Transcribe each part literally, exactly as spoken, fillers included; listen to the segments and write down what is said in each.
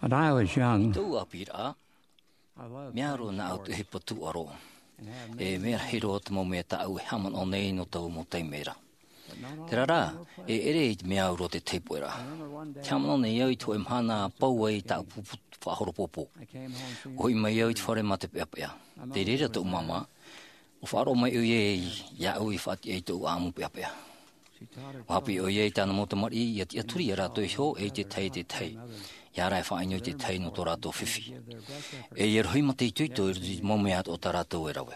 When I was young, tōʻu ʻāpīraʻa, mea roa nā au te ʻohipa tūʻaro. E mea rahi roa te mau mea tāʻu e haʻamanaʻo nei nō tōʻu mau taime ra. Terā rā, e ʻere i te mea au roa te taipoʻe ra. Te haʻamanaʻo nei au i te hōʻē mahana a pau ai tāʻu pupu faʻahoropōpō. ʻUa hoʻi mai au i te fare mā te peʻapeʻa. Tei reira tōʻu māmā, ʻua faʻaroʻo mai ʻoia iāʻu i faʻatiʻa i tōʻu ʻāʻamu peʻapeʻa. ʻUa haʻapiʻi ʻoia i tāna mau tamariʻi ʻia tiʻaturi ia rātou iho e i te tahi e te tahi. ʻIa ara e faʻaʻino i te tahi nō tō rātou fifi. E ʻia rohi mā te itoito i roto i te mau mea atoʻa tā rātou e rave.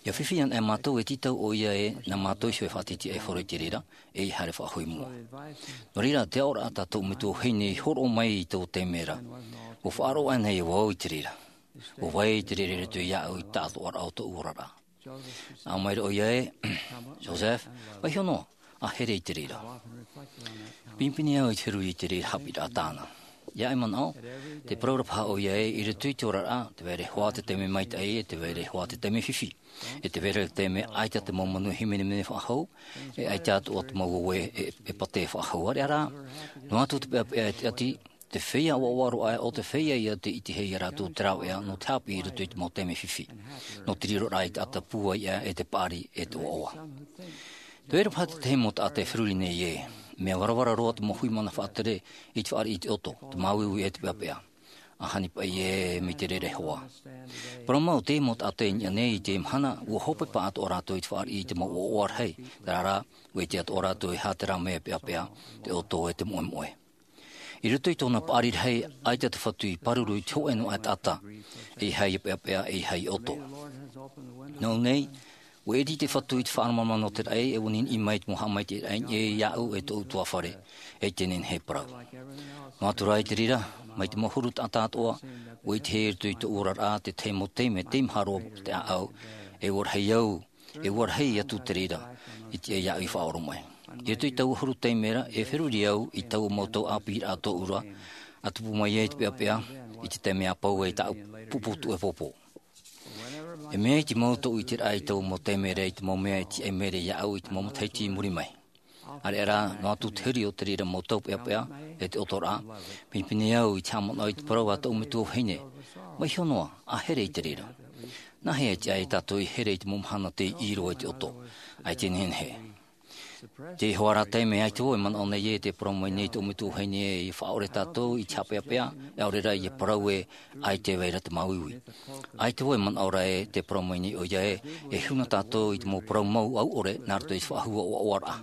ʻIa fifi anaʻe mātou e tītau ʻoia e nā mātou iho e faʻatiʻatiʻa e horo i te reira, e ʻia haere faʻahou i mua. Nō reira, te aʻoraʻa tā tōʻu metua vahine i hōroʻa mai i tō taime ra. ʻUa faʻaroʻo anaʻe vau i te reira. ʻUa vai te reira i roto iāʻu i te taʻatoʻaraʻa o tōʻu oraraʻa. Nā ʻō mai ra ʻoia ē, Joseph, vaiiho noa, ʻa here i te reira. Pinepine au i te feruri i te reira haʻapiʻiraʻa tāna. ʻIa e manaʻo, te parau ra paha ʻoia ē, i roto i te oraraʻa, tē vai ra hoʻi te taime maitaʻi, e tē vai ra hoʻi te taime fifi. E tē vai ra te taime ʻaita te mau manuia hīmenemene faʻahou, e ʻaita atoʻa te mau ʻoe e, e pātē faʻahou. ʻAreʻa rā, noa atu te peʻapeʻa e te ʻati, te feiā ʻoaʻoa roa aʻe ʻo te feiā ʻia ʻitehia ia rātou te rāveʻa nō te haʻapiʻi i roto i te mau taime fifi. Nō te riroraʻa i te taʻata pūai aʻe e te paʻari e te ʻoaʻoa. Tē vai ra paha te tahi mau taʻata e feruri nei ē, mea varavara roa te mau hui mana faʻatere i te fāriʻi i te ʻoto, te māuiui e te peʻapeʻa. ʻA hani paʻi ē mai te reira hoʻi. Parau mau te mau taʻata i niʻa nei i te mahana, ʻua hopeʻa atoʻa rātou i te fāriʻi i te mau ʻoaʻoa rahi, terā rā, ʻua ʻite atoʻa rātou e aha terā mea peʻapeʻa, te ʻoto e te moʻemoʻe. I roto i tōna paʻari rahi, ʻaita te Fatu i pāruru i te hōʻē noa aʻe taʻata, e ʻeiaha ʻia peʻapeʻa, e ʻeiaha ʻia ʻoto. Nō ʻō nei, ʻua ʻiri te Fatu i te faʻaromaromaʻa nō te raʻi, e ʻua niʻiniʻi mai te mau haʻamaitaʻiraʻa i niʻa iāʻu e tōʻu ʻutuāfare, e te nehenehe e parau. Noa atu rā i te reira, mai te mau huru taʻata atoʻa, ʻua ʻitehia i roto i tōʻu oraraʻa te tahi mau taime, tei maha roa te ʻāʻau, e ʻua rahi au, e ʻua rahi atu te reira, i te, iāʻu i faʻaoromaʻi. I roto i taua huru taime ra, e feruri au i taua mau tau ʻāpīraʻa tōʻu ra, ʻa tupu mai ai te peʻapeʻa, i te taime a pau ai tāʻu pupu tuʻupoʻupoʻu. E mea i te mau tōʻu ʻiteraʻa i taua mau taime ra i te mau mea e tiʻa mai ra iāʻu i te mau matahiti i muri mai. ʻAreʻa rā, noa atu te huri o te reira mau tau peʻapeʻa, e te ʻotoraʻa, pinepine au i te haʻamanaʻo i te parau a tōʻu metua vahine, vaiiho noa, ʻa here i te reira. Nāhea e tiʻa ai tātou e here i te mau mahana tei ʻī roa i te ʻoto, ʻaita e nehenehe. Te hoʻi rā taime ʻaita vau e manaʻo nei ē, tē parau mai nei tōʻu metua vahine ē, ʻia faʻaʻore tātou i te haʻapeʻapeʻa, ʻaore rā ʻia parau ē, ʻaita e vai ra te māuiui. ʻAita vau e manaʻo ra ē, tē parau mai nei ʻoia ē, e huna tātou i te mau parau mau ʻauʻore, nā roto i te faʻahou ʻoaʻoaraʻa.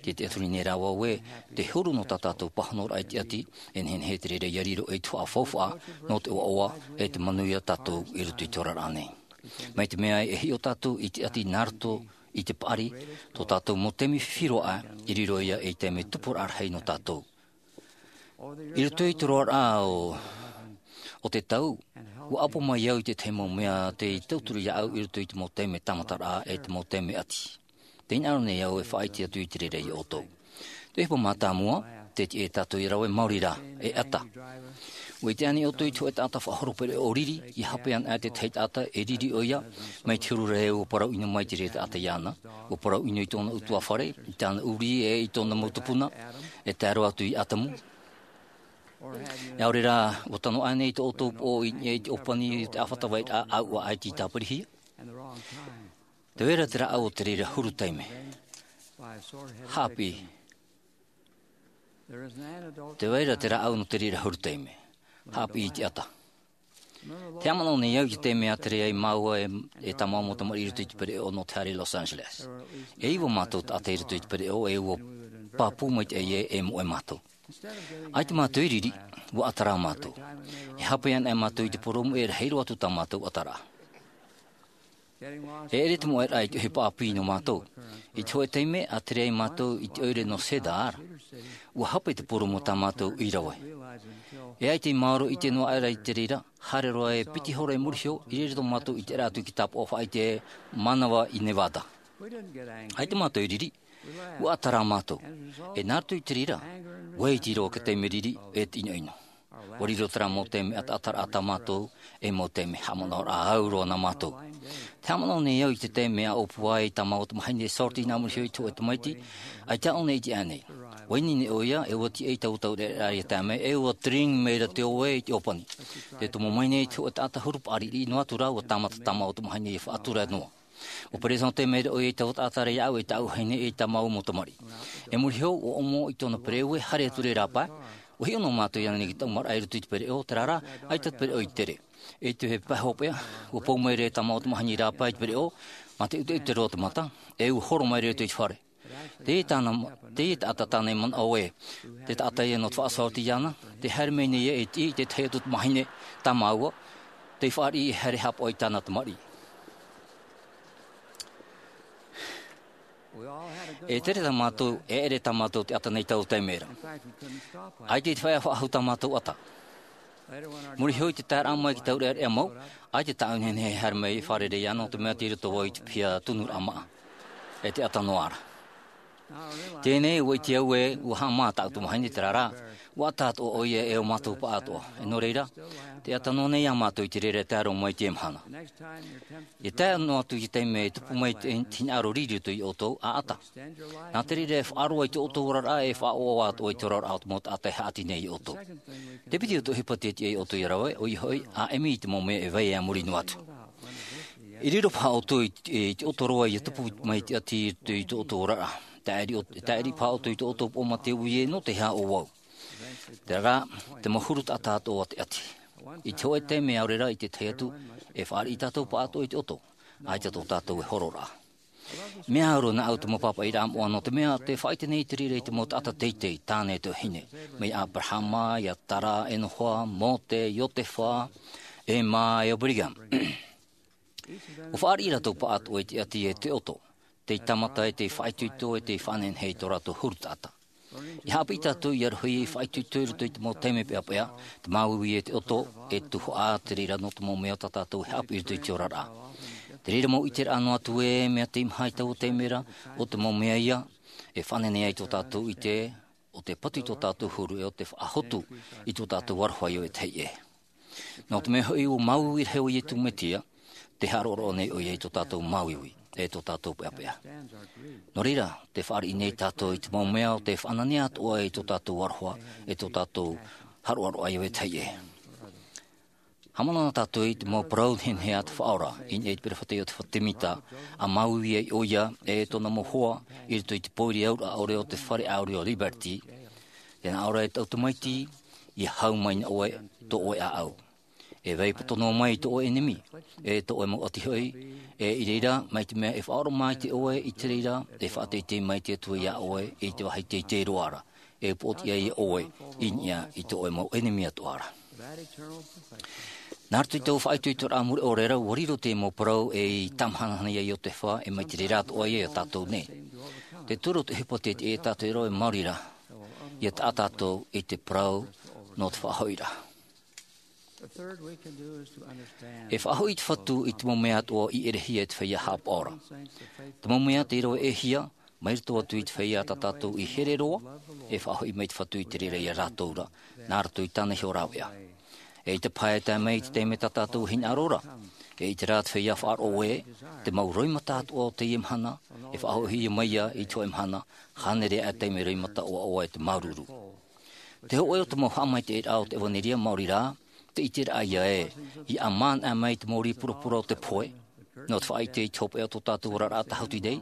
Tē tiʻaturi nei rā vau ē, te huru nō tā tātou pāhonoraʻa i te ʻati, e nehenehe te reira ʻia riro ei tuhaʻa faufaʻa, nō te ʻoaʻoa, e te manuia tātou i roto i te oraraʻa nei. Mai te mea e hiʻo tātou i te ʻati nā roto i te paʻari, tō tātou mau taime fifi roa aʻe, i riro ia ei taime tupuraʻa rahi nō tātou. I roto i te roaraʻa o, o te tau, ʻua ʻapo mai au i te tahi mau mea tei tauturu iāʻu i roto i te mau taime tāmataraʻa e te mau taime ʻati. Tē hinaʻaro nei au e faʻaʻite atu i te reira ia ʻoutou. Te ʻohipa mātāmua, te tiʻa ia tātou ʻia rave maori rā, e ʻata. ʻUa ʻite ānei ʻoutou i te hōʻē taʻata faʻahoro pereʻoʻo riri, ʻia hape anaʻe te tahi taʻata e riri ʻoia, mai te huru ra ē ʻua parau ʻino mai te reira taʻata iāna, ʻua parau ʻino i tōna ʻutuāfare, i tāna ʻurī e i tōna mau tupuna, e tae roa atu iā ʻĀtamu. E ʻaore rā, ʻua tano ānei tō ʻoutou poʻo i niʻa i te ʻōpani o te ʻāfata vairaʻa, ʻaua ʻaita i tāpirihia? Tē vai ra te rāʻau o te reira huru taime. Haʻapiʻi. Tē vai ra te rāʻau nō te reira huru taime. Haʻapiʻi i te ʻata. Te haʻamanaʻo nei au i te taime a tere ai māua e, e tā māua mau tamariʻi i roto i te pereʻoʻo nō te haere i Los Angeles. E iva mātou taʻata i roto i te pereʻoʻo, e ʻua pāpū maitaʻi ē, e moʻe mātou. ʻAita mātou i riri, ʻua ʻata rā mātou. E hape anaʻe mātou i te purōmu e rahi roa atu tā mātou ʻataraʻa. E ʻere te moʻeraʻa i te ʻohipa ʻāpī nō mātou. I te hōʻē taime, a tere ai mātou i te ʻoire nō Cedar, ʻua hape te purōmu tā mātou i rave. E ʻaita i maoro ʻite noa aʻera i te reira, haere roa e piti hora i muri iho, i reira tō mātou ʻiteraʻa atu i te tāpaʻo faʻaʻite e Manava i Nevada. ʻAita mātou i riri, ʻua ʻata rā mātou. E nā roto i te reira, ʻua iti roa te taime riri e te ʻinoʻino. ʻUa riro terā mau taime ʻataʻataraʻa tā mātou, e mau taime haʻamanaʻoraʻa au roa nā mātou. Te haʻamanaʻo nei au i te taime a ʻōpua ai tā māua tamahine Shorty nā muri iho i te hōʻē tamaiti, ʻaita ʻōna i ʻite ānei. ʻUa ineine ʻoia, e ʻua tiʻa i taua taureʻareʻa ia tae mai, e ʻua tiring mai ra te ʻoe i te ʻōpani. Tē tomo mai nei te hōʻē taʻata huru paʻari riʻi noa atu rā, ʻua tāmata tāmau atu mahana ia faʻatura noa. ʻUa peresente mai ra ʻoia i taua taʻata ra iāʻu, e tāʻu vahine, e tāmau mau tamariʻi. E muri iho, ʻua ʻomo i tōna pereʻoʻo, e haere atu ra i rāpae. ʻUa hiʻo noa mātou i ʻō nei i te taumaraʻa i roto i te pereʻoʻo, terā rā, ʻaita te pereʻoʻo i tere. I te pae hopeʻa, ʻua pou mai ra e tāmau atu mahana i rāpae i te pereʻoʻo, mā te ʻuteʻute roa te mata, e ʻua horo mai ra i roto i te fare. Teie tāna, teie taʻata tāna i manaʻo ē, te taʻata ia nō te faʻasoroti iāna, tē haere mai nei ē e tiʻi i te tahi atu tamahine tāmau, tei fāriʻi e haere haʻapaʻo i tāna tamariʻi. E tere tā mātou, e ʻere tā mātou taʻata nei taua taime ra. ʻAita i te faʻaea faʻahou tā mātou ʻata. Muri iho i te taeraʻa mai i te taureʻareʻa mau, ʻaita tāʻu nehenehe e haere mai e fārerei iāna, nō te mea tei roto vau i te piha tunuraʻa māʻa. E te ʻata noa ra. Teie nei, ʻua ʻite au ē, ʻua haʻamā tāʻu tamahine, terā rā, ʻua ʻata atoʻa ʻoia e ʻo mātou paʻatoʻa. E nō reira, tē ʻata noa nei ā mātou i te reira e tae roa mai i teie mahana. ʻIa tae noa atu i te taime e tupu mai te, te hinaʻaro riri i roto iā ʻoutou, ʻa ʻata. Nā te reira e faʻaroa i tō ʻoutou oraraʻa, e faʻaʻoaʻoa atoʻa i te oraraʻa o te mau taʻata e haʻati nei iā ʻoutou. Te piti o te ʻohipa tē tiʻa iā ʻoutou ia rave, ʻoia hoʻi, ʻa ʻimi i te mau mea e vai a muri noa atu. I riro paha ʻoutou i, i te ʻoto roa ʻia tupu mai te ʻati i, i tō ʻoutou oraraʻa. Tāʻiri ʻo-, tāʻiri paha ʻoutou i tō ʻoutou poʻo mā te uē nō te aha ʻo vau. Terā rā, te mau huru taʻata atoʻa o te ʻati. I te hōʻē taime ʻaore rā i te tahi atu, e fāriʻi tātou paʻatoʻa i te ʻoto. ʻAita tō tātou e hororaʻa. Mea au roa nāʻu te mau pāpaʻiraʻa moʻa nō te mea, tē faʻaʻite nei te reira i te mau taʻata teitei, tāne e te vahine. Mai iā Aberahama, iā Tara, Enoha, Mōte, Iosepha, Emma, e ʻo Brigham. ʻUa fāriʻi rātou paʻatoʻa i te ʻati e te ʻoto. Tei tāmata e tei faʻaitoito e tei faʻanehenehe i tō rātou huru taʻata. ʻIa haʻapiʻi tātou ʻia rohi e faʻaitoito i roto i te mau taime peʻapeʻa, te māuiui e te ʻoto, e tuhaʻa te reira nō te mau mea tā tātou e haʻapiʻi i roto i te oraraʻa. Te reira mau ʻiteraʻa noa atu ē, mea teimaha i taua taime ra, ʻo te mau mea ia, e faʻanehenehe ai tō tātou ʻite, ʻo tē patu i tō tātou huru e ʻo tē faʻahotu i tō tātou aroha ʻia vetahi ʻē. Nō te mea hoʻi ʻua māuiui rahi ʻo Iesu Mesia, tē haʻaroʻaroʻa nei ʻoia i tō tātou māuiui, e tō tātou peʻapeʻa. Nō reira, tē fāriʻi nei tātou i te mau mea ʻo tē faʻananea atoʻa i tō tātou aroha, e tō tātou haʻaroʻaroʻa ʻia vetahi ʻē. Haʻamanaʻo tātou i te mau parau nehenehe a te Faʻaora, i niʻa i te peropheta Iotefa Temita, ʻa māuiui ai ʻoia, e tōna mau hoa, i roto i te pōiri auraʻa ʻore o te fare ʻāuri o Liberty, tē nā ʻō ra e tōʻu tamaiti, ʻia hau mai nā ʻoe, tō ʻoe ʻāʻau. E vai poto noa mai i tō ʻoe ʻenemi, e tō ʻoe mau ʻati hoʻi, e i reira, mai te mea e faʻaroʻo maitaʻi ʻoe i te reira, e faʻateitei mai te Atua iā ʻoe, i te vāhi teitei roa ra, e upoʻotiʻa iā ʻoe, i niʻa i tō ʻoe mau ʻenemi atoʻa ra. Nā roto i taua faʻaitoitoraʻa mure ʻore ra, ʻua riro te mau parau e i tāmahanahana iā Iotefa, e mai te reira atoʻa ia iā tātou nei. Te toru o te ʻohipa tē tiʻa iā tātou ra e maori ra, ʻia taʻa tātou i te parau nō te faʻahoʻiraʻa. E faʻahoʻi te Fatu i te mau mea atoʻa i ʻerehia e te feiā haʻapaʻo ra. Te mau mea tei rave ʻē hia, mai roto atu i te feiā tā tātou i here roa, e faʻahoʻi mai te Fatu i te reira iā rātou ra, nā roto i tāna iho rāveʻa. E ʻaita paha e tae mai i te taime tā tātou e hinaʻaro ra, e ʻite rā te feiā faʻaroʻo ē, te mau roimata atoʻa o teie mahana, e faʻahoʻihia mai ia i te hōʻē mahana, hānere aʻe taime roimata ʻoaʻoa e te māuruuru. Te hōʻē o te mau haʻamaitaʻiraʻa o te ʻevanelia maori rā, te ʻiteraʻa ia ē, ʻia ʻamanaʻe mai te mau rī purapura o te pohe, nō te faʻaʻite i te hopeʻa o tō tātou oraraʻa tāhuti nei,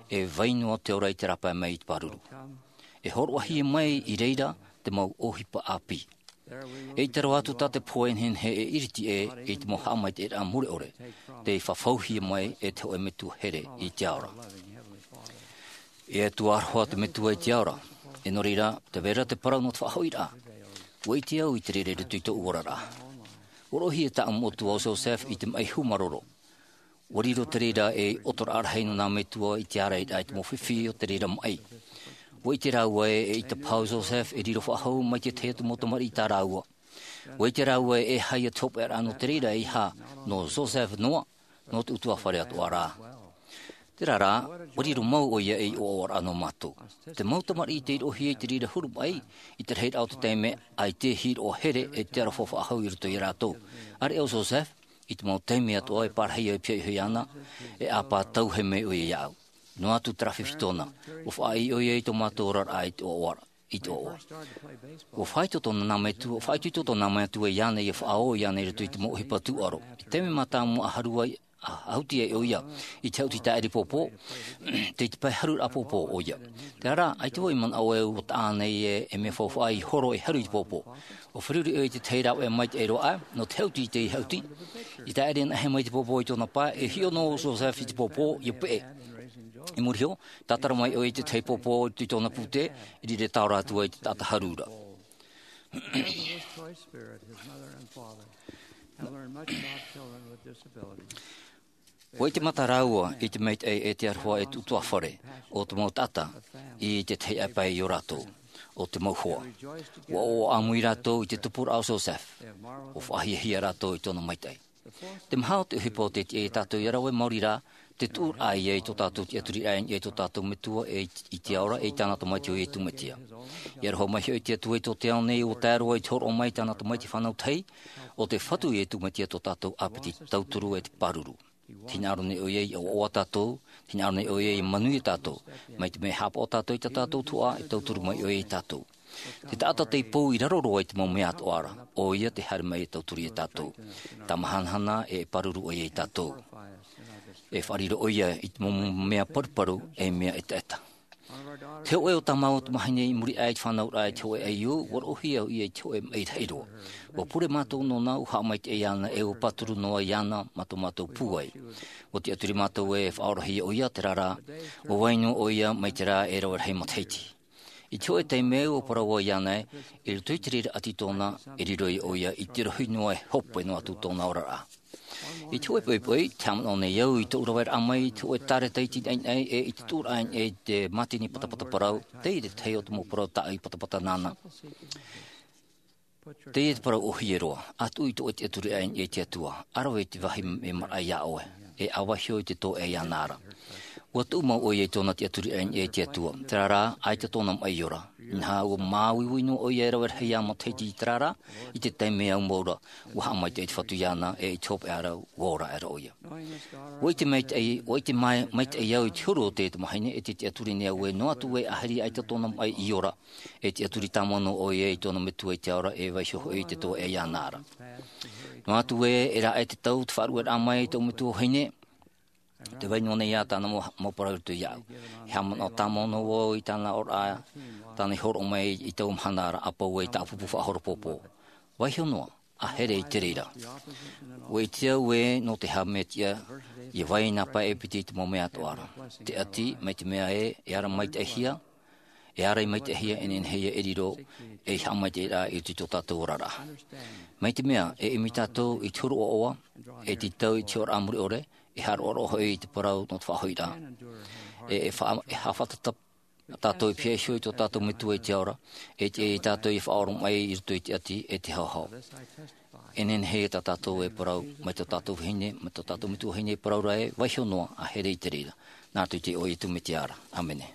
e vai noa te ora i te rāpae mai i te pāruru. E hōroʻahia mai i reira te mau ʻohipa ʻāpī. E ʻite roa atu tā te pohe e nehenehe e iriti ē i te mau haʻamaitaʻiraʻa mure ʻore, tei fafauhia mai e te hōʻē metua here i te ao ra. E Atua aroha te Metua i te ao ra, e nō reira, tē vai ra te parau nō te faʻahoʻiraʻa. ʻUa ʻite au i te reira i roto i tōʻu oraraʻa. ʻUa roʻohia tāʻu mau tuahine ʻo Joseph i te maʻi hūmāroro. ʻUa riro te reira ei ʻoto rahi nō nā metua i te ārairaʻa i te mau fifi o te reira maʻi. ʻUa ʻite rāua ē, eʻita paha ʻo Joseph e riro faʻahou mai te tahi atu mau tamariʻi tā rāua. ʻUa ʻite rāua ē, e aha ia te hopeʻaraʻa nō te reira, e aha, nō Joseph noa, nō te ʻutuāfare atoʻa rā. Terā rā, ʻua riro mau ʻoia ei ʻoaʻoaraʻa nō mātou. Te mau tamariʻi tei roʻohia i te reira huru maʻi, i te rahiraʻa o te taime, ʻaita e hiʻo here e te aroha faʻahou i roto ia rātou. ʻAreʻa ʻo Joseph, i te mau taime atoʻa e pārahi au e pihaʻi iho iāna, e ʻāpā tauihaʻa mai ʻoia iāʻu. Noa atu te rā fifi tōna. Ua faʻaʻī ʻoia i tō mātou oraraʻa i te ʻoaʻoa. I te ʻoaʻoa. Ua faʻaitoito tōna nā metua, ua faʻaitoito tōna nā metua iāna ia faʻaō iāna i roto i te mau ʻohipa tūʻaro. I te taime mātāmua a haru ai, a, a huti ai ʻoia i te hauti tāʻiri pōpō, tei te pae haru rā pōpō ʻoia. Terā rā, ʻaita vau i manaʻo e ua taʻa nei e, e mea faufaʻa i horo e haru i te pōpō. Ua feruri ʻoia i te tahi rāveʻa maitaʻi roa aʻe, nō te hauti i te hauti. I tāʻiri anaʻe mai te pōpō i tōna pae, e hiʻo noa ʻo Joseph i te pōpō, ʻia peʻe. I muri iho, tātara mai ʻoia i te tahi pōpō i tōna pūtē, i riro e tāora atu ai te taʻata haru ra. Even this choice spirit, his mother and father, have learned much about children with disabilities. Ua ʻite mata rāua i te maitaʻi e te aroha e te ʻutuāfare o te mau taʻata i te tahi ʻāpae i ō rātou, o te mau hoa. Ua ʻoaʻoa ʻāmui rātou i te tupuraʻa o Joseph, ua faʻahiahia rātou i tōna maitaʻi. Te maha o te ʻohipa o te tiʻa iā tātou ia rave maori rā, te tuʻuraʻa ia i tō tātou tiʻaturiraʻa i niʻa i tō tātou metua e i, i te ao ra, e i tāna tamaiti ʻo Iesu Mesia. ʻIa aroha mai hoʻi te Atua i tō te ao nei, ʻua tae roa i te hōroʻa mai i tāna tamaiti fānau tahi, ʻo te Fatu Iesu Mesia tō tātou ʻāpiti tauturu e te pāruru. Tē hinaʻaro nei ʻoia ia ʻoaʻoa tātou, tē hinaʻaro nei ʻoia ia manuia tātou, mai te mea e haʻapaʻo tātou i tā tātou tuhaʻa, e tauturu mai ʻoia ia tātou. Te taʻata tei pou i raro roa i te mau mea atoʻa ra, ʻoia tē haere mai e tauturu ia tātou. Tamahanahana e pāruru ʻoia ia tātou. E faʻariro ʻoia i te mau mea paruparu, e mea ʻetaʻeta. Te hōʻē o tā māua tamahine i muri aʻe i te fānauraʻa i te hōʻē ʻaiū, ua roʻohia ʻoia i te hōʻē maʻi rahi roa. Ua pure mātou nōna, ua haʻamaitaʻi iāna, e ua pāturu noa iāna mā tō mātou pūai. Ua tiʻaturi mātou e faʻaorahia ʻoia, terā rā, ua vai noa ʻoia mai te rā e rave rahi matahiti. I te hōʻē taime ua parau vau iāna ē, i roto i te reira ʻati tōna, e riro ʻoia i te rohi noa e hope noa atu tōna oraraʻa. I te hōʻē poʻipoʻi, tē haʻamanaʻo nei au i tōʻu raveraʻa mai i te hōʻē tāreta iti naʻinaʻi e i te tuʻuraʻa i niʻa i te mātini patapata parau, teie te tahi o te mau parau tāʻui patapata nāna. Teie te parau ʻōhie roa, ʻa tuʻu i tō ʻoe tiʻaturiraʻa i niʻa i te Atua, ʻa rave i te vāhi mea maraʻa iā ʻoe, e ʻa vaiiho i te tōʻe iāna ra. Ua tuʻu mau ʻoia i tōna tiʻaturiraʻa i niʻa i te Atua, terā rā, ʻaita tōna maʻi ora. Inaha, ua māuiui noa ʻoia e rave rahi matahiti, terā rā, i te taime au mau ra, ua haʻamaitaʻi te Fatu iāna, e i te hopeʻa ra, ua ora aʻera ʻoia. Ua ʻite maitaʻi, ua ʻite mai, maitaʻi au i te huru o te tamahine, e te tiʻaturi nei au ē, noa atu ē, ʻahiri ʻaita tōna maʻi i ora, e tiʻaturi tāmau noa ʻoia i tōna metua i te ao ra, e vaiiho hoʻi i te tōʻe iāna ra. Noa atu ē, e raʻe te tau, te faʻaruʻeraʻa mai i tōʻu metua vahine, tē vai noa nei ā tāna mau, mau parau i roto iāʻu. E haʻamanaʻo tāmau noa vau i tāna oraraʻa, tāna i hōroʻa mai i taua mahana ra, ʻapou ē i tāʻu pupu faʻahoro pōpō. Vaiiho noa, ʻa here i te reira. Ua ʻite au ē, nō te haʻamaitaʻi, ʻia vai nā pae e piti i te mau mea atoʻa ra. Te ʻati, mai te mea ē, e ara maitaʻihia, e ara i maitaʻihia, e nehenehe ia e riro ei haʻamaitaʻiraʻa i roto i tō tātou oraraʻa. Mai te mea, e ʻimi tātou i te huru ʻoaʻoa, e tītau i te oraraʻa mure ʻore, e haʻaroʻaroʻa hoʻi i te parau nō te faʻahoʻiraʻa. E, e fa-, e haʻafātata tātou i pihaʻi iho i tō tātou Metua i te ao ra, e tiʻa ia tātou e faʻaoromaʻi i roto i te ʻati, e te haohao. E nehenehe tā tātou e parau, mai tō tātou vahine, mai tō tātou metua vahine e parau ra ē, vaiiho noa, ʻa here i te reira. Nā roto i te iʻoa o Iesu Mesia ra. ʻĀmene.